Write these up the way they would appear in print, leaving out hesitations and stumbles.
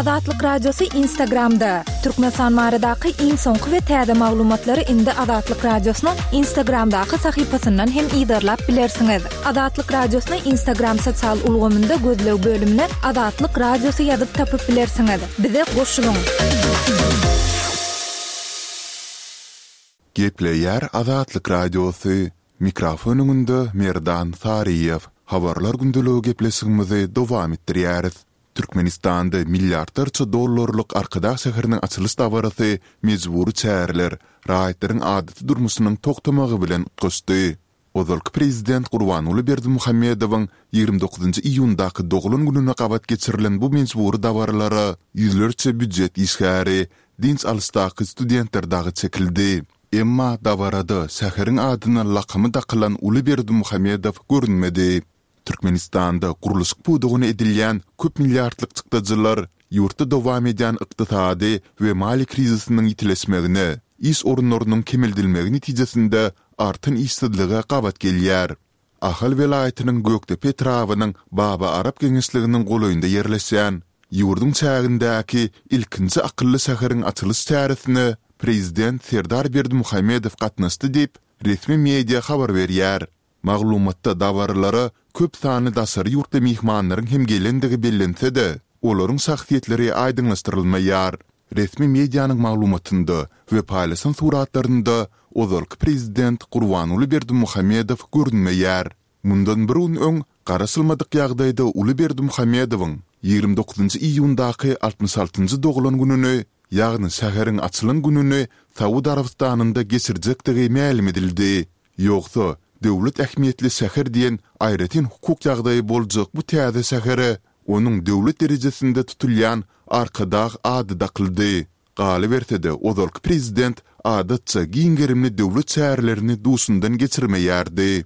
Azatlyk Radiosy Instagramda! Türkmenistan baradaky iň soňky we täze maglumatlary indi Azatlyk Radiosynyň Instagramdaky sahypasyndan hem yzarlap bilersiňiz. Azatlyk Radiosyny Instagram sosial ulgamynda gözleg bölümine Azatlyk Radiosy ýazyp tapyp bilersiňiz. Bize goşulyň! Gepleýär Azatlyk Radiosy, Mikrofon öňünde Merdan Saryýew. Habarlar gündeligi gepleşigimizi dowam etdirýäris. Türkmenistanda milliardlarça dollarlyk Arkadag şäheriniň açylyş dabarasy mejbury çäreler, raýatlaryň adaty durmuşynyň togtamagy bilen utgaşdy. Ozalky prezident Gurbanguly Berdimuhamedowyň 29 iýundaky doglan gününe gabat geçirilen bu mejbury dabaralara ýüzlerçe býujet işgäri, dynç alyşdaky studentler dagy çekildi. Emma dabarada şäheriň adyna lakamy dakylan uly Berdimuhamedow görünmedi. Türkmenistanda gurluşyk pudagyna edilýän köp milliardlyk çykdajylar ýurtda dowam edýän ykdysady we maliýe krizisiniň ýitileşmegine, iş orunlarynyň kemeldilmegi netijesinde artan işsizlige gabat gelýär. Ahal welaýatynyň Gökdepe etrabynyň Baba Arap geňeşliginiň golaýynda ýerleşýän, ýurduň çägindäki ilkinji akylly şäheriň açylyş çäresine prezident Serdar Berdimuhamedow gatnaşdy diýip, resmi media habar berýär. Maglumatda dabaralara köp sanly daşary ýurtly myhmanlaryň hem gelendigi bellense-de, olaryň şahsyýetleri aýdyňlaşdyrylmaýar. Resmi medianyň maglumatynda we paýlaşan suratlarynda ozalky prezident Gurbanguly Berdimuhamedow görünmeýär. Mundan bir gün öň, garaşylmadyk ýagdaýda uly Berdimuhamedowyň 29 iýundaky 66-njy doglan gününi, ýagny şäheriň açylan gününi Saud Arabystanynda geçirjekdigi mälim edildi. Ýogsa, döwlet ähmiýetli şäher diýen aýratyn hukuk ýagdaýy boljak bu täze şähere onuň döwlet derejesinde tutulýan Arkadag ady dakyldy. Galyberse-de, ozalky prezident adatça giň gerimli döwlet çärelerini duşundan geçirmeýärdi.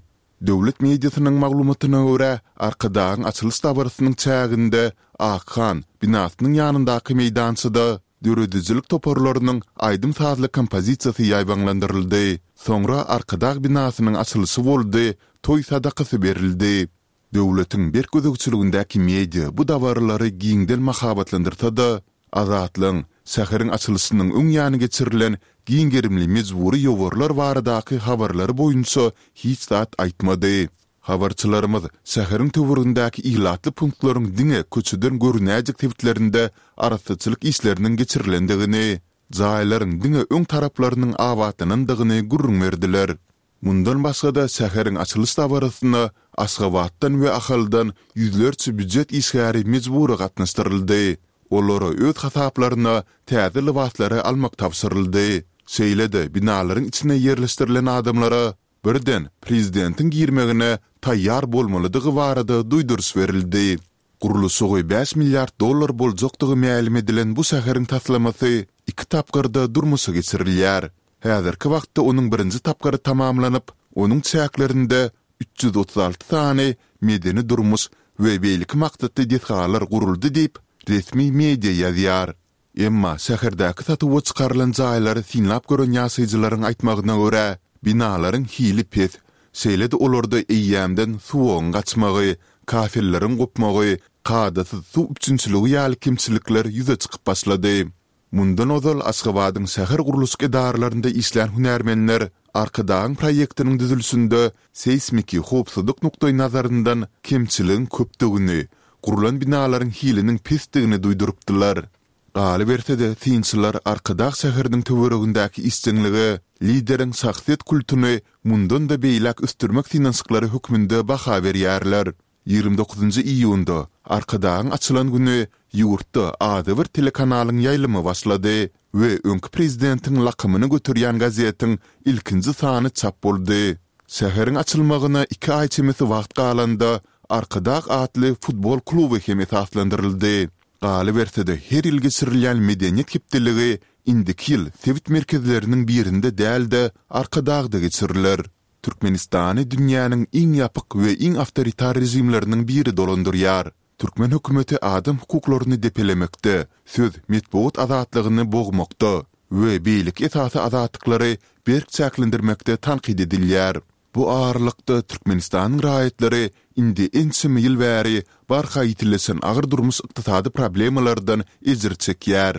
Döwlet mediasynyň maglumatyna görä, Arkadagyň açylyş dabarasynyň çäginde Akhan binasynyň ýanyndaky meýdançada Döredijilik toparlarynyň aýdym-sazly kompozisiýasy ýaýbaňlandyryldy. Soňra Arkadag binasynyň açylyşy boldy, toý sadakasy berildi. Döwletiň berk gözegçiligindäki media bu dabaralary giňden mahabatlandyrsa-da, Azatlygyň şäheriň açylyşynyň öň ýany geçirilen giň gerimli mejbury ýowarlar baradaky habarlary boýunça hiç zat aýtmady. Habarçylarymyz şäheriň töweregindäki ilatly punktlaryň diňe köçeden görünäýjek sebitlerinde arassaçylyk işleriniň geçirilendigini, jaýlaryň diňe öň taraplarynyň abatlanandygyny gürrüň berdiler. Mundan başga-da şäheriň açylyş dabarasyna Aşgabatdan we Ahaldan ýüzlerçe býujet işgäri mejbury gatnaşdyryldy. Olara öz hasaplaryna täze lybaslary almak tabşyryldy. Şeýle-de binalaryň içine ýerleşdirilen adamlara Birden, prezidentiň girmegine taýýar bolmalydygy barada duýduryş berildi. Gurluşygy bäş milliard dollar boljakdygy mälim edilen bu şäheriň taslamasy iki tapgyrda durmuşa geçirilýär. Häzirki wagtda onuň birinji tapgyry tamamlanyp, onuň çäklerinde 336 sany medeni-durmuş we beýleki maksatly desgalar guruldy diýip, resmi media ýazýar. Emma şäherdäki satuwa çykarylan jaýlary synlap gören ýaşaýjylaryň aýtmagyna görä, binalaryň hili pes, şeýle-de olarda eýýämden suwagyň gaçmagy, kafelleriň gopmagy, kadasyz suw üpjünçiligi ýaly kemçilikler ýüze çykyp başlady. Mundan ozal Aşgabadyň şäher gurluşyk edaralarynda işlän hünärmenler Arkadagyň proýektiniň düzülişinde seýsmiki howpsuzlyk nukdaýnazaryndan kemçiligiň köpdügini, gurlan binalaryň hiliniň pesdigini duýdurypdylar. Galyberse-de, synçylar Arkadag şäheriniň töweregindäki işjeňlige lideriň şahsyýet kultuny mundan-da beýläk ösdürmek synanyşyklary hökmünde baha berýärler. 29 iýunda, Arkadagyň açylan güni ýurtda adybir telekanalyň ýaýlymy başlady we öňki prezidentiň lakamyny göterýän gazetiň ilkinji sany çap boldy. Şäheriň açylmagyna iki aý çemesi wagt galanda, Arkadag atly futbol kluby hem esaslandyryldy. Galyberse-de, her ýyl geçirilýän Medeniýet hepdeligi indiki ýyl sebit merkezleriniň birinde däl-de, Arkadagda geçiriler. Türkmenistany dünýäniň iň ýapyk we iň awtoritar režimleriniň biri dolandyrýar. Türkmen hökümeti adam hukuklaryny depelemekde, söz, metbugat azatlygyny bogmakda we beýleki esasy azatlyklary berk çäklendirmekde tankyt edilýär. Bu aralykda, Türkmenistanyň raýatlary indi ençeme ýyl bäri barha ýitileşen agyr durmuş-ykdysady problemalardan ejir çekýär.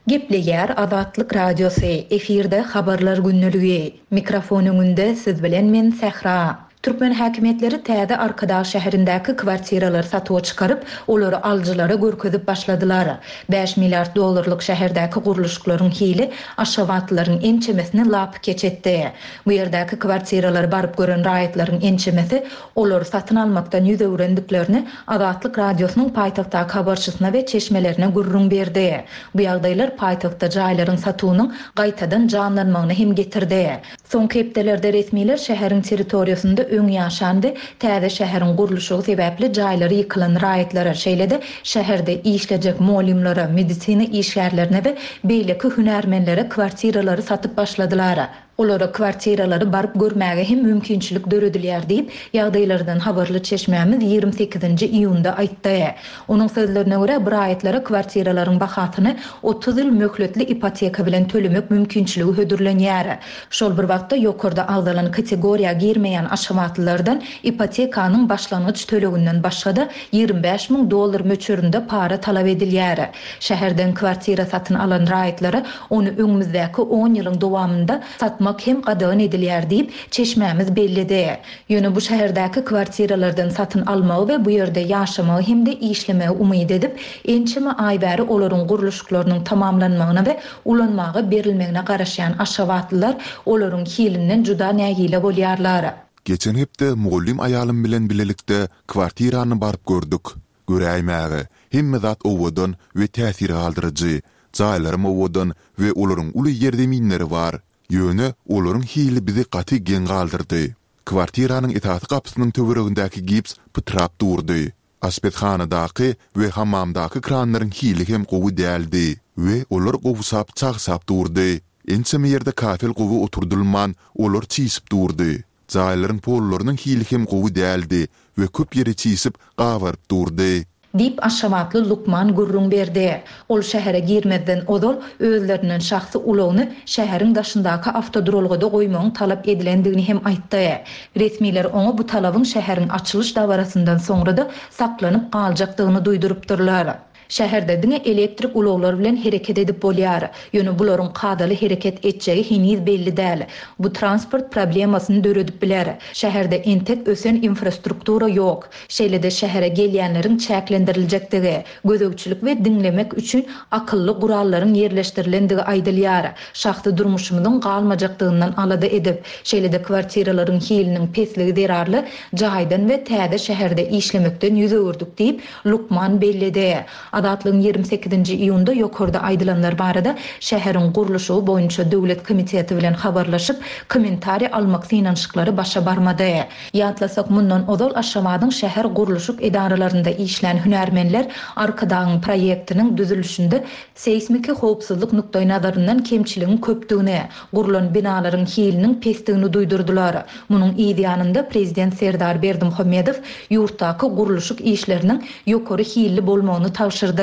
Gepleýär Azatlyk Radiosy, efirde Habarlar gündeligi. Mikrofon öňünde siz bilen men Sähra. Türkmen häkimiýetleri täze Arkadag şäherindäki kwartiralary satuwa çykaryp, olary alyjylara görkezip başladylar. Bäş milliard dollarlyk şäherdäki gurluşyklaryň hili aşgabatlylaryň ençemesini lapykeç etdi. Bu ýerdäki kwartiralary baryp gören raýatlaryň ençemesi olary satyn almakdan ýüz öwrendiklerini Azatlyk Radiosynyň paýtagtdaky habarçysyna we çeşmelerine gürrüň berdi. Bu ýagdaýlar paýtagtda jaýlaryň satuwynyň gaýtadan janlanmagyna hem getirdi. Soňky hepdelerde resmiler şäheriň territoriýasynda öň ýaşan we täze şäheriň gurluşygy sebäpli jaýlary ýykylan raýatlara, şeýle-de şäherde işlejek molymlara, medisina işgärlerine we beýleki hünärmenlere kwartiralary satyp başladylar. Olara kwartiralary baryp görmäge hem mümkinçilik döredilýär diýip, ýagdaýlardan habarly çeşmämiz 28-nji iýunda aýtdy. Onuň sözlerine görä, bu raýatlara kwartiralaryň bahasyny 30 ýyl möhletli ipoteka bilen tölemek mümkinçiligi hödürlenýär. Şol bir wagtda, ýokarda agzalan kategoriýa girmeýän aşgabatlylardan ipotekanyň başlangyç töleginden başga-da, 25 müň dollar möçberinde para talap edilýär. Şäherden kwartira satyn alan raýatlara ony öňümizdäki on ýylyň dowamynda satmak hem gadagan edilýär diýip, çeşmämiz belledi. Ýöne bu şäherdäki kwartiralardan satyn almagy we bu ýerde ýaşamagy hem-de işlemegi umyt edip, ençeme aý bäri olaryň gurluşyklarynyň tamamlanmagyna we ulanmaga berilmegine garaşýan aşgabatlylar olaryň hilinden juda nägile bolýarlar. Geçen hepde mugallym aýalym bilen bilelikde kwartirany baryp gördük. Göräýmäge, hemme zat owadan we täsir galdyryjy. Jaýlaram owadan we olaryň uly ýerzeminleri bar. Ýöne olaryň hili bizi gaty geň galdyrdy. Kwartiranyň esasy gapysynyň töweregindäki gips pytrap durdy. Aşpezhanadaky we hammamdaky kranlaryň hili hem gowy däldi we olar gowşap, çagşap durdy. Ençeme ýerde kafel gowy oturdylman, olar çişip durdy. Jaýlaryň pollarynyň hili hem gowy däldi we köp ýeri çişip, gabaryp durdy. Diýip, aşgabatly lukman gürrüň berdi. Ol şähere girmezden ozal, özlerinden şahsy ulagyny şäheriň daşyndaky awtoduralgada goýmagyň talap edilendigini hem aýtdy. Resmiler oňa bu talabyň şäheriň açylyş dabarasyndan soňra-da saklanyp galjakdygyny duýdurypdyrlar. Şäherde diňe elektrik ulaglar bilen hereket edip bolýar. Ýöne bularyň kadaly hereket etjegi heniz belli däl. Bu transport problemasyny döredip biler. Şäherde entek ösen infrastruktura ýok. Şeýle-de şähere gelýänleriň çäklendiriljekdigi, gözegçilik we diňlemek üçin akylly gurallaryň ýerleşdirilendigi aýdylýar. Şahsy durmuşymyzyň galmajakdygyndan alada edip, şeýle-de kwartiralaryň hiliniň pesligi zerarly jaýdan we täze şäherde işlemekden ýüz öwürdik diýip, Lukman belledi. Azatlygyň 28-nji iýunda ýokarda aýdylanlar barada şäheriň gurluşygy boýunça döwlet komiteti bilen habarlaşyp, kommentariý almak synanyşyklary başa barmady. Ýatlasak, mundan ozal Aşgabadyň şäher gurluşyk edaralarynda işlän hünärmenler Arkadagyň proýektiniň düzülişinde seýsmiki howpsuzlyk nukdaýnazaryndan kemçiligiň köpdügini, gurlan binalaryň hiliniň pesdigini duýdurdylar. Munuň yz ýanynda prezident Serdar Berdimuhamedow ýurtdaky gurluşyk işleriniň ýokary hilli bolmagyny tabşyrdy.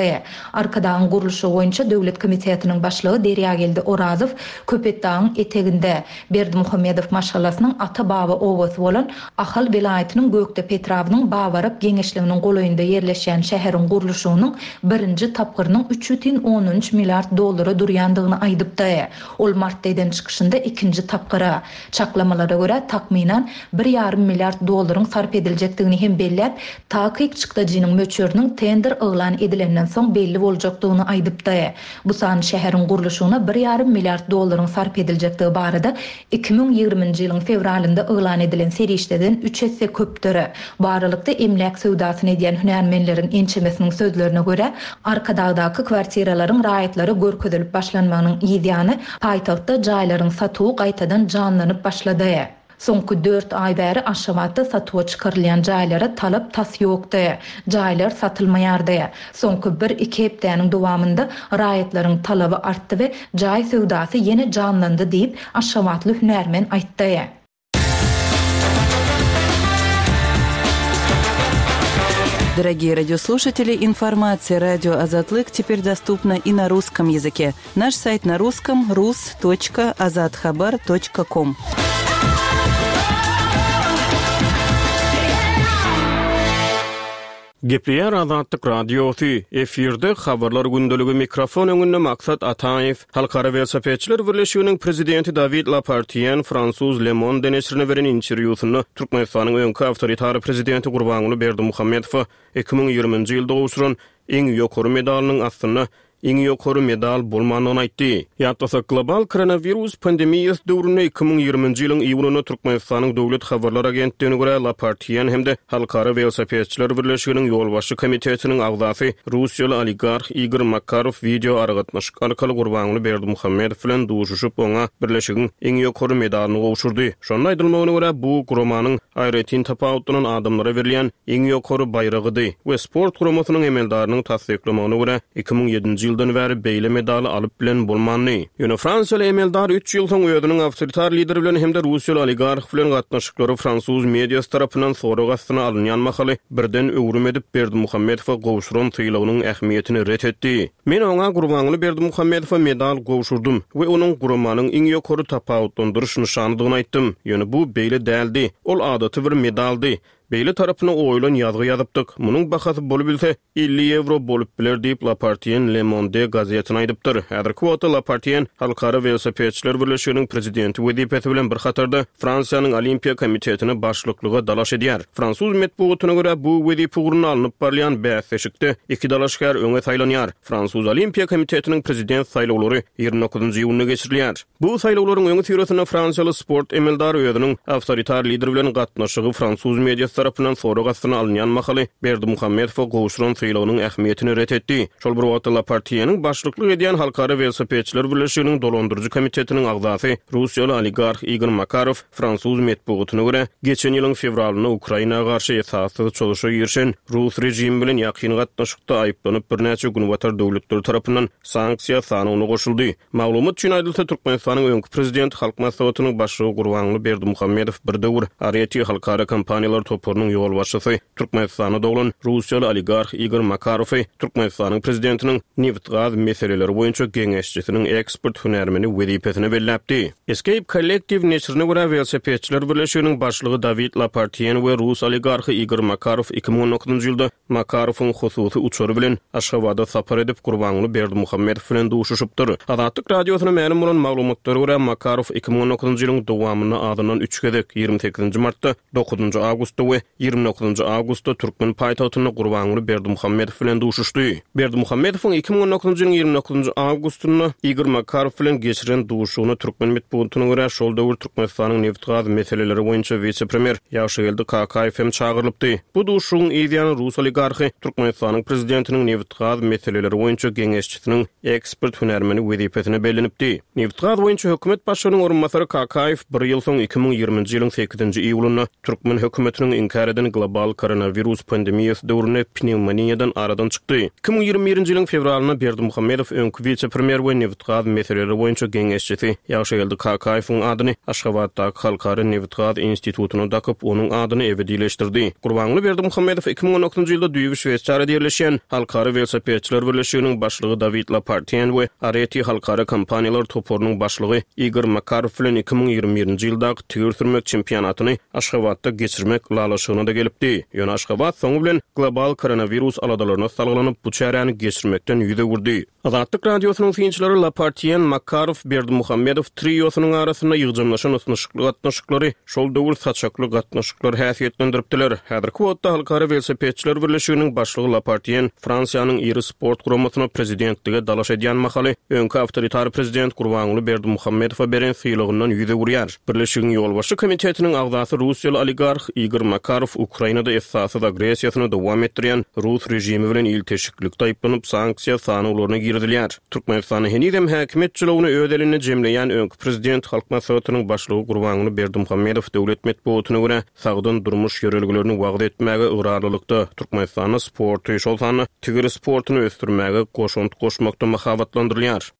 Arkadagyň gurluşygy boýunça döwlet komitetiniň başlygy Derýageldi Orazow Köpetdagyň eteginde, Berdimuhamedow maşgalasynyň ata-baba obasy bolan Ahal welaýatynyň Gökdepe etrabynyň Babarap geňeşliginiň golaýynda ýerleşýän şäheriň gurluşygynyň birinji tapgyrynyň üç bütin ondan üç milliard dollara durýandygyny aýdypdy. Ol martda eden çykyşynda ikinji tapgyra, çaklamalara görä, takmynan, bir ýarym milliard dollaryň sarp ediljekdigini hem belläp, takyk çykdajynyň möçberiniň tender yglan edilenden soň belli boljakdygyny aýdypdy. Bu san şäheriň gurluşygyna bir ýarym milliard dollaryň sarp ediljekdigi barada 2020-nji ýylyň fewralynda yglan edilen serişdeden üç esse köpdür. Bu aralykda, emläk söwdasyny edýän hünärmenleriň ençemesiniň sözlerine görä, Arkadagdaky kwartiralaryň raýatlara görkezilip başlanmagynyň yz ýany, paýtagtda jaýlaryň satuwy gaýtadan janlanyp başlady. Soňky dört aý bäri Aşgabatda satuwa çykarylýan jaýlara talap tas ýokdy. Jaýlar satylmaýardy. Soňky bir-iki hepdäniň dowamynda raýatlaryň talaby artdy we jaý söwdasy ýene janlandy diýip, aşgabatly hünärmen aýtdy. Дорогие радиослушатели, информация радио Азатлык теперь доступна и на русском языке. Наш сайт на русском rus.azathabar.com. Gepleýär Azatlyk Radiosy, efirde Habarlar gündeligi mikrofon öňünde Maksat Ataýew. Halkara welosipedçiler birleşiginiň prezidenti Dawid Lapartien fransuz Le Monde neşirine beren interwýusynda Türkmenistanyň öňki awtoritar prezidenti Gurbanguly Berdimuhamedowa 2020-nji ýylda gowşuran iň ýokary medalynyň aslynda iň ýokary medal bolmandygyny aýtdy. Ýatlasak, global koronawirus pandemiýasy döwründe 2020-nji ýylyň iýunynda Türkmenistanyň Döwlet habarlar agentligine görä, Lapartien hem-de Halkara welosipedçiler birleşiginiň ýolbaşçy komitetiniň agzasy russiýaly oligarh Igor Makarow wideo aragatnaşyk arkaly Gurbanguly Berdimuhamedow bilen duşuşyp, oňa birleşigiň iň ýokary medalyny gowşurdy. Şonda aýdylmagyna görä, bu guramanyň aýratyn tapawutlanan adamlara berilýän iň ýokary baýragydy we sport guramasynyň emeldarynyň tassyklamagyna görä, 2007-nji ýyldan bäri beýle medaly alyp bilen bolmandy. Ýöne fransiýaly emeldar üç ýyl soň özüniň awtoritar lider bilen hem-de russiýaly oligarh bilen gatnaşyklary fransuz mediasy tarapyndan sorag astyna alynýan mahaly birden öwrüm edip, Berdimuhamedowa gowşuran sylagynyň ähmiýetini ret etdi. Men oňa Gurbanguly Berdimuhamedowa medal gowşurdym we onuň guramanyň iň ýokary tapawutlandyryş nyşanydygyny aýtdym. Ýöne bu beýle däldi. Ol adaty bir medaldy. Beýle tarapyna oýulan ýazgy ýazypdyk. Munuň bahasy bolubilse, 50 ýewro bolup biler diýip, Lapartien Le Monde gazetine aýdypdyr. Häzirki wagtda Lapartien Halkara welosipedçiler birleşiginiň prezidenti wezipesi bilen bir hatarda Fransiýanyň Olimpiýa komitetine başlyklyga dalaş edýär. Fransuz metbugatyna görä, bu wezipe ugrunda alnyp barylýan bäsleşikde iki dalaşgär öňe saýlanýar. Fransuz Olimpiýa komitetiniň prezident saýlawlary 29 iýunda geçirilýär. Bu saýlawlaryň öňüsyrasynda fransiýaly sport emeldary özüniň awtoritar lider bilen gatnaşygy fransuz mediasy tarapyndan sorag astyna alynýan mahaly Berdimuhamedowa gowşuran sylagynyň ähmiýetini ret etdi. Şol bir wagtda Lapartiýeniň başlyklyk edýän Halkara welosipedçiler birleşiginiň dolandyryjy komitetiniň agzasy russiýaly oligarh Igor Makarow Fransuz metbugatyna görä, geçen ýylyň fewralynda Ukraina garşy esassyz çozuşa girişen rus režimi bilen ýakyn gatnaşykda aýyplanyp birnäçe günbatar döwletleri tarapyndan sanksiýa sanawyna goşuldy. Maglumat üçin aýdylsa, Türkmenistanyň öňki prezidenti, Halk Maslahatynyň Başlygy Gurbanguly Berdimuhamedow bir döwür Areti halkara kompaniýalar toparynyň ýolbaşçysy, Türkmenistanda doglan russiýaly oligarh Igor Makarowy Türkmenistanyň prezidentiniň nebit-gaz meseleleri boýunça geňeşçisiniň ekspert hünärmeni wezipesine belläpdi. Escape Collective neşirine görä, Welosipedçiler birleşiginiň başlygy Dawid Lapartien we rus oligarhy Igor Makarow 2019-njy ýylda Makarowyň hususy uçary bilen Aşgabada sapar edip, Gurbanguly Berdimuhamedow bilen duşuşypdyr. Azatlyk Radiosyna mälim bolan maglumatlara görä, Makarow 2019-njy ýylyň dowamynda azyndan üç gezek, 28-nji martda, dokuzynjy awgustda we 29-njy awgustda türkmen paýtagtynda Gurbanguly Berdimuhamedow bilen duşuşdy. Berdimuhamedowyň 2019-njy ýylyň 29-njy awgustynda Igor Makarow bilen geçiren duşuşygyna türkmen metbugatyna görä, şol döwür Türkmenistanyň nebit-gaz meseleleri boýunça wise-premýer Ýagşygeldi Kakaýew hem çagyrylypdy. Bu duşuşygyň yz ýany rus oligarhy Türkmenistanyň prezidentiniň nebit-gaz meseleleri boýunça geňeşçisiniň ekspert hünärmeni wezipesine bellenipdi. Nebit-gaz boýunça hökümet başlygynyň orunbasary Kakaýew bir ýyl soň 2020-nji ýylyň sekizinji iýulynda türkmen hökümetiniň inkär eden global koronawirus pandemiýasy döwründe pnewmoniýadan aradan çykdy. 2021-nji ýylyň fewralynda Berdimuhamedow öňki wise-premýer we nebit-gaz meseleleri boýunça geňeşçisi Ýagşygeldi Kakaýewiň adyny Aşgabatdaky Halkara nebit-gaz institutyna dakyp, onuň adyny ebedileşdirdi. Gurbanguly Berdimuhamedow 2019-njy ýylda düýbi Şweýsariýada ýerleşýän Halkara welosipedçiler birleşiginiň başlygy Dawid Lapartien we Areti halkara kompaniýalar toparynyň başlygy Igor Makarow bilen 2021-nji ýyldaky tigir sürmek çempionatyny Aşgabatda geçirmek ylalaşygyna-da gelipdi. Ýöne Aşgabat soňy bilen global koronawirus aladalaryna salgylanyp, bu çäräni geçirmekden ýüz öwürdi. Azatlyk Radiosynyň synçylary Lapartien, Makarow, Berdimuhamedow triosynyň arasynda ýygjamlaşan ysnyşykly gatnaşyklary şol döwür saçakly gatnaşyklar häsiýetlendiripdiler. Häzirki wagtda Halkara welosipedçiler birleşiginiň başlygy Lapartien Fransiýanyň iri sport guramasyna prezidentlige dalaş edýän mahaly öňki awtoritar prezident Gurbanguly Berdimuhamedowa beren sylagyndan ýüz öwürýär. Birleşigiň ýolbaşçy komitetiniň agzasy russiýaly oligarh Igor Makarow Ukrainada esassyz agressiýasyny dowam etdirýän rus režimi bilen ilteşiklikde aýyplanyp, sanksiýa sanawlaryna girizilýär. Türkmenistanda henizem häkimiýet jylawyny öz elinde jemleýän öňki prezident, Halk Maslahatynyň Başlygy Gurbanguly Berdimuhamedow döwlet metbugatyna görä, sagdyn durmuş ýörelgelerini wagyz etmäge ygrarlylykda, Türkmenistanda sporty, şol sanda tigir sportuny ösdürmäge goşant goşmakda mahabatlandyrylýar.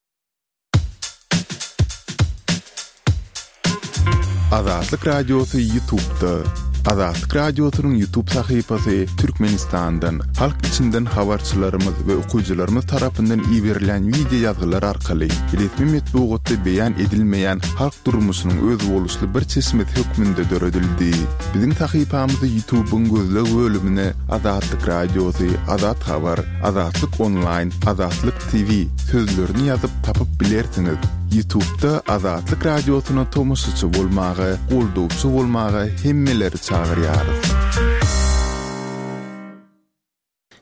Azatlyk Radiosy YouTube'da. Azatlyk Radiosynyň YouTube sahypasy Türkmenistandan, halk içinden habarçylarymyz we okyjylarymyz tarapyndan iberilýän wideo ýazgylar arkaly resmi metbugatda beýan edilmeýän halk durmuşynyň özboluşly bir çeşmesi hökmünde döredildi. Biziň sahypamyzy YouTube-yň gözleg bölümine Azatlyk Radiosy, Azat Habar, Azatlyk Onlaýn, Azatlyk TV sözlerini ýazyp tapyp bilersiňiz. Ýutubda Azatlyk Radiosyna tomaşaçy bolmaga, goldawçy bolmaga hemmeleri çagyrýarys.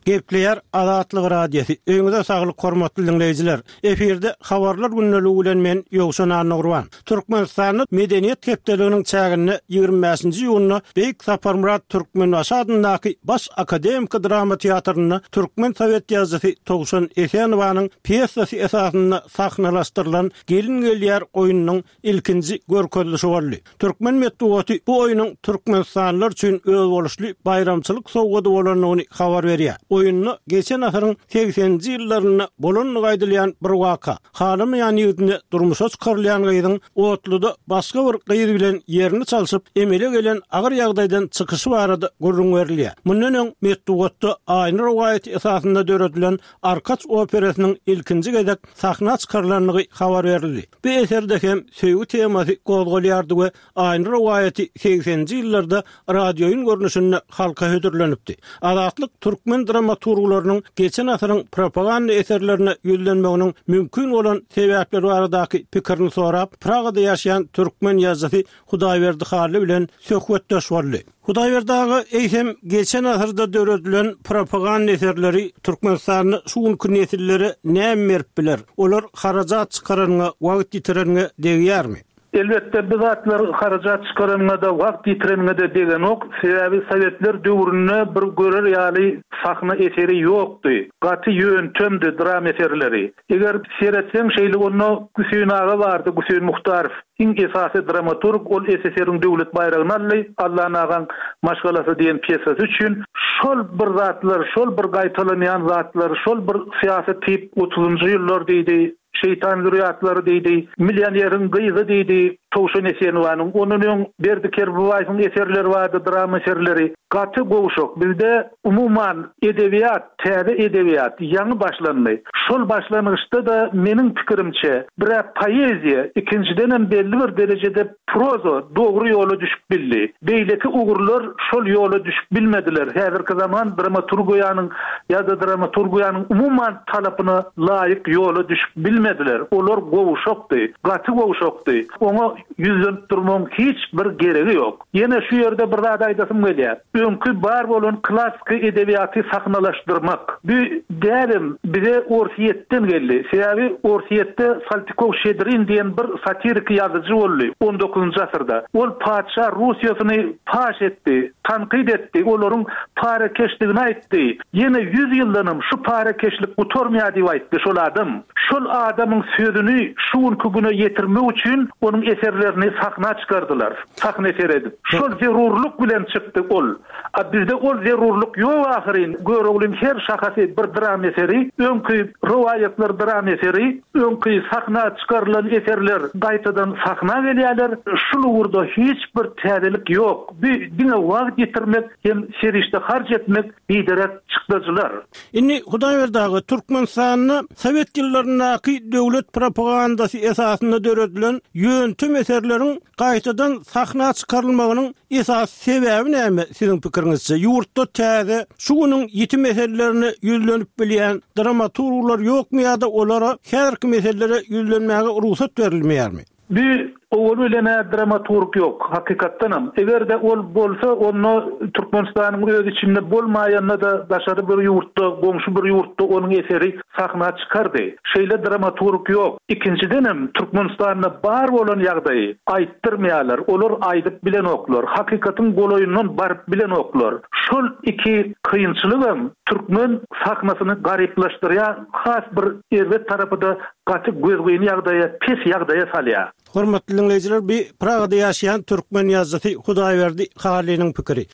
Gepleýär Azatlyk Radiosy. Öýüňize saglyk hormatly diňleýjiler. Efirde Habarlar gündeligi bilen men Ýowşan Annagurban. Türkmenistanda Medeniýet hepdeliginiň çäginde 25-nji iýunda Beýik Saparmyrat Türkmenbaşy adyndaky Baş akademiki drama teatrynda türkmen sowet ýazyjysy Towşan Esenowanyň pýesasy esasynda sahnalaşdyrylan Gelin gelýär oýnunyň ilkinji görkezilişi boldy. Türkmen metbugaty bu oýnuň türkmenistanlylar üçin özboluşly baýramçylyk sowgady bolandygyny habar berýär. Oýunda geçen asyryň segseninji ýyllarynda bolandygy aýdylýan bir waka, halamaýan ýigidine durmuşa çykarylýan gyzyň otluda başga bir gyz bilen ýerini çalşyp, emele gelen agyr ýagdaýdan çykyşy barada gürrüň berilýär. Mundan öň metbugatda Aýna rowaýaty esasynda döredilen Arkaç operasynyň ilkinji gezek sahna çykarylandygy habar berildi. Bu eserde hem söýgi temasy gozgalýardy we Aýna rowaýaty segseninji ýyllarda radioýyn görnüşinde halka hödürlenipdi. Azatlyk türkmen dramaturglarynyň geçen asyryň propaganda eserlerine ýüzlenmeginiň mümkin bolan sebäpleri baradaky pikirini sorap, Pragada ýaşaýan türkmen ýazyjysy Hudaýberdi Hally bilen söhbetdeş boldy. Hudaýberdi aga, eýsem, geçen asyrda döredilen propaganda eserleri Türkmenistanda şu günki nesillere näme berip biler? Olar harajat çykaranyňa, wagt ýitireniňe degýärmi? Elbetde, bu zatlar harajat çykaranyňa-da, wagt ýitireniňe-de degenok. Sebäbi sowetler döwründe bir görer ýaly sahna eseri ýokdy. Gaty ýöntemdi dram eserleri. Eger seretseň şeýle onda Güseýin aga bardy, Güseýin Muhtarow. Iň esasy dramaturg, ol SSR-iň döwlet baýragyny aldy, Allan agaň maşgalasy diýen pýesasy üçin. Şol bir zatlar, şol bir gaýtalanýan zatlar, şol bir syýasy tip otuzynjy ýyllar diýdi, Şeýtan zürýatlary diýdi, Millioneriň gyzy diýdi, Towşan Esenowanyň, ondan öň Berdi Kerbabaýewiň eserleri bardy, drama eserleri. Gaty gowşak. Bizde umuman edebiýat, täze edebiýat ýaňy başlandy. Şol başlangyçda-da meniň pikirimçe, bir-ä poeziýa, ikinjidenem belli bir derejede proza dogry ýola düşüp bildi. Beýleki ugurlar şol ýola düşüp bilmediler. Häzirki zaman dramaturgiýanyň ýa-da dramaturgiýanyň umuman talapyna laýyk ýola düşüp bilmediler. Olar gowşakdy, gaty gowşakdy. Oňa ýüzlenip durmagyň hiç bir geregi ýok. Ýene şu ýerde bir zat aýdasym gelýär. Öňki bar bolan klassyky edebiýaty sahnalaşdyrmak. Bu däbem bize Orsýetden geldi. Sebäbi Orsýetde Saltykow-Şedrin diýen bir satiriki ýazyjy boldy on dokuzynjy asyrda. Ol patyşa Russiýasyny paş etdi, tankyt etdi, olaryň parakeşdigini aýtdy. Ýene ýüz ýyldanam şu parakeşlik gutarmaýar diýip aýtdy şol adam. Şol adamyň sözüni şu günki güne ýetirmek üçin onuň eserlerini sahna çykardylar. Sahna seredip. Şol zerurlyk bilen çykdy ol. A bizde ol zerurlyk ýok ahyryn. Göroglyň her şahasy bir dram eseri, öňki rowaýatlar dram eseri, öňki sahna çykarylan eserler gaýtadan sahna gelýärler. Şul ugurda hiç bir täzelik ýok. Bu diňe wagt ýitirmek hem serişde harç etmek biderek çykdajylar. Indi Hudaýberdi aga, Türkmenistanda sowet ýyllaryndaky döwlet propagandasy esasynda döredilen ýöntem eserleriň gaýtadan sahna çykarylmagynyň esasy sebäbi näme, siziň pikiriňizçe? Ýurtda täze, şu günüň ýiti meselelerine ýüzlenip bilýän dramaturglar ýokmy ýa-da olara häzirki meselelere ýüzlenmäge rugsat berilmeýärmi? Bu owal bilen-ä dramaturg ýok, hakykatdanam. Eger-de ol bolsa, onda Türkmenistanyň öz içinde bolmaýanda-da daşary bir ýurtda, goňşy bir ýurtda onuň eseri sahna çykardy. Şeýle dramaturg ýok. Ikinjidenem, Türkmenistanda bar bolan ýagdaýy aýtdyrmaýarlar. Olar aýdyp bilenoklar. Hakykatyň golaýyndan baryp bilenoklar. Şol iki kynçylygam türkmen sahnasyny garyplaşdyrýar, has bir erbet tarapy-da gaty gözgyny ýagdaýa, pes ýagdaýa salýar. Hormatly diňleýjiler, bu Pragada ýaşaýan türkmen ýazyjysy Hudaýberdi Hallynyň pikiri.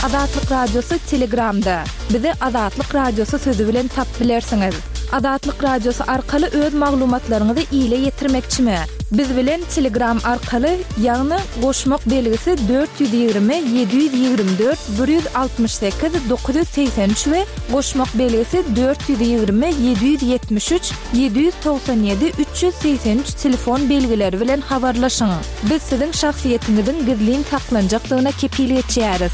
Azatlyk Radiosy Telegramda. Bizi Azatlyk Radiosy sözi bilen tapyp bilersiňiz. Azatlyk Radiosy arkaly öz maglumatlaryňyzy ile ýetirmekçimi? Biz bilen Telegram arkaly, ýagny goşmak belgisi 420 724 168 983 we goşmak belgisi 420 773 797 383 telefon belgileri bilen habarlaşyň. Biz siziň şahsyýetiňiziň gizlin saklanjakdygyna kepil geçýäris.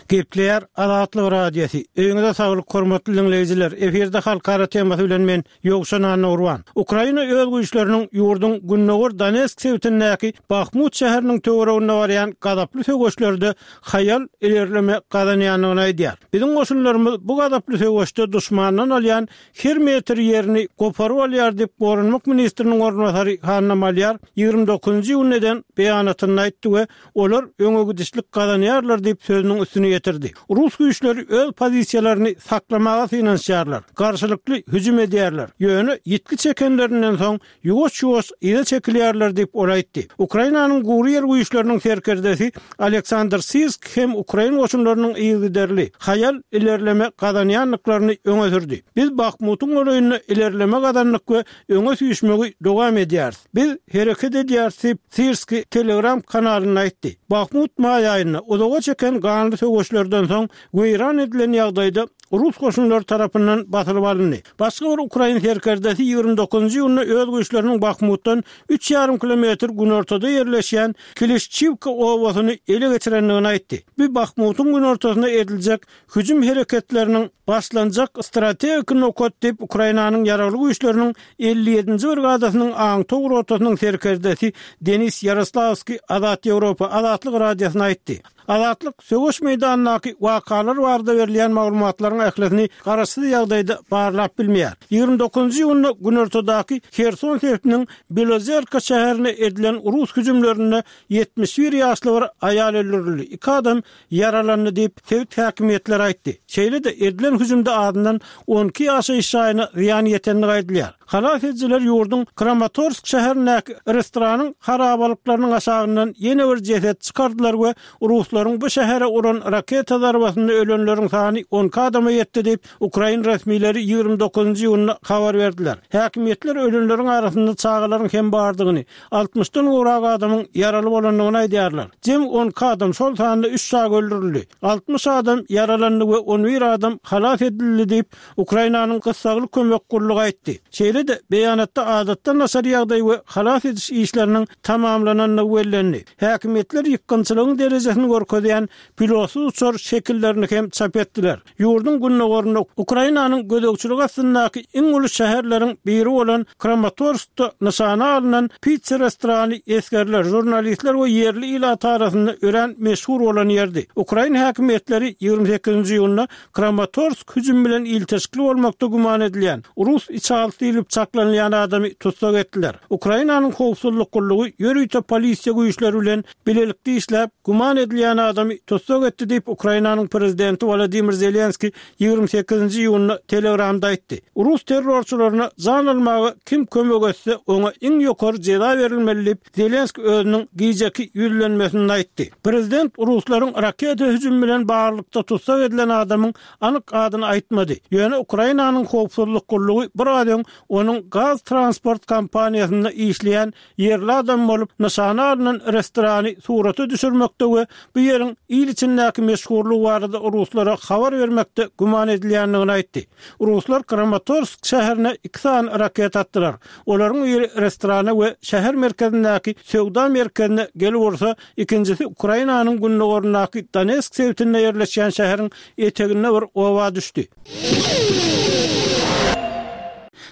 Gepleýär Azatlyk Radiosy. Öýüňize saglyk hormatly diňleýjiler. Efirde halkara temasy bilen men Ýowşan Annagurban. Ukraina öz güýçleriniň ýurduň gündogar Donetsk sebitindäki Bahmut şäheriniň töwereginde barýan gazaply söweşlerde haýal ilerleme gazanýandygyny aýdýar. Biziň goşunlarymyz bu gazaply söweşde duşmandan alýan her metr ýerini goparyp alýar diýip, goranmak ministriniň orunbasary Hanna Malýar 29-njy iýunda eden beýanatynda aýtdy we olar öňegidişlik gazanýarlar diýip sözüniň üstüni ýetirdi. Rus güýçleri öz pozisiýalaryny saklamaga synanyşýarlar, garşylykly hüjüm edýärler, ýöne ýitgi çekenlerinden soň ýuwaş-ýuwaş yza çekilýärler diýip, ol aýtdy. Ukrainanyň gury ýer güýçleriniň serkerdesi Aleksandr Sirsk hem ukrain goşunlarynyň yzygiderli, haýal ilerleme gazanýandyklaryny öňe sürdi. Biz Bahmutyň golaýynda ilerleme gazandyk we öňe süýşmegi dowam edýäris. Biz hereket edýäris diýip, Sirski Telegram kanalynda aýtdy. Bahmut maý aýynda, uzaga çeken ganly söweşlerden soň weýran edilen ýagdaýda rus goşunlary tarapyndan basylyp alyndy. Başga bir ukrain serkerdesi 29-njy iýunda öz güýçleriniň Bahmutdan üç ýarym kilometr günortada ýerleşýän Klişçiwka obasyny ele geçirendigini aýtdy. Bu Bahmutyň günortasynda ediljek hüjüm hereketleriniň başlanjak strategik nokat diýip, Ukrainanyň Ýaragly Güýçleriniň 57-nji brigadasynyň aňtaw rotasynyň serkerdesi Denis Ýaroslawskiý Azat Ýewropa Azatlyk Radiosyna aýtdy. Azatlyk söweş meýdanyndaky wakalar barada berilýän maglumatlaryň ählisini garaşsyz ýagdaýda barlap bilmeýär. 29-njy iýunda günortadaky Herson sebitiniň Belozerka şäherine edilen rus hüjümlerinde 71 ýaşly bir aýal öldürildi, iki adam ýaralandy diýip, sebit häkimiýetleri aýtdy. Şeýle-de, edilen hüjümde azyndan 12 ýaşaýyş jaýyna zyýan ýetendigi aýdylýar. Halas edijiler ýurduň Kramatorsk şäherindäki restoranyň harabalyklarynyň aşagyndan ýene bir jeset çykardylar we ruslaryň bu şähere uran raketa zarbasynda ölenleriň sany 12 adama ýetdi diýip, ukrain resmileri 29-njy iýunda habar berdiler. Häkimiýetler ölenleriň arasynda çagalaryň hem bardygyny, altmyşdan gowrak adamyň ýaraly bolandygyny aýdýarlar. Jemi 12 adam, şol sanda üç çaga öldürildi. 60 adam ýaralandy we 11 adam halas edildi diýip, Ukrainanyň gyssagly kömek gullugy aýtdy. Şeýle-de, beýanatda adatdan daşary ýagdaý we halas ediş işleriniň tamamlanandygy bellendi. Häkimiýetler ýykgynçylygyň derejesini görkezýän pilotsyz uçar şekillerini hem çap etdiler. Ýurduň gündogarynda Ukrainanyň gözegçiligi astyndaky iň uly şäherleriň biri bolan Kramatorskda nyşana alnan pitsa restorany esgerler, žurnalistler we ýerli ilat arasynda örän meşhur bolan ýerdi. Ukrain häkimiýetleri 28-nji iýunda Kramatorsk hüjümi bilen ilteşikli bolmakda güman edilýän, rus içalysy diýlip çaklanylýan adamy tussag etdiler. Ukrainanyň howpsuzlyk gullugy ýörite polisiýa güýçleri bilen bilelikde işläp, güman edilýän adamy tussag etdi diýip, Ukrainanyň prezidenti Wolodymyr Zelenskiý 28-nji iýunda Telegramda aýtdy. Rus terrorçylaryna jan almaga kim kömek etse, oňa iň ýokary jeza berilmeli diýip, Zelenskiý özüniň gijeki ýüzlenmesinde aýtdy. Prezident ruslaryň raketa hüjümi bilen baglylykda tussag edilen adamyň anyk adyny aýtmady. Ýöne Ukrainanyň howpsuzlyk gullugy biraz öň onuň gaz transport kompaniýasynda işleýän ýerli adam bolup, nyşana alnan restorany surata düşürmekde we bu ýeriň il içindäki meşhurlygy barada ruslara habar bermekde güman edilýändigini aýtdy. Ruslar Kramatorsk şäherine iki sany raketa atdylar. Olaryň biri restorana we şäher merkezindäki söwda merkezine gelip ursa, ikinjisi Ukrainanyň gündogaryndaky Donetsk sebitinde ýerleşýän şäheriň eteginde bir oba düşdi.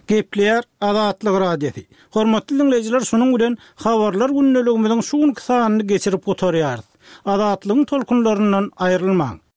Gepleýär Azatlyk Radiosy. Hormatly diňleýjiler şunuň bilen Habarlar gündeligimiziň şu günki sanyny geçirip gutarýarys. Azatlygyň tolkunlaryndan aýrylmaň!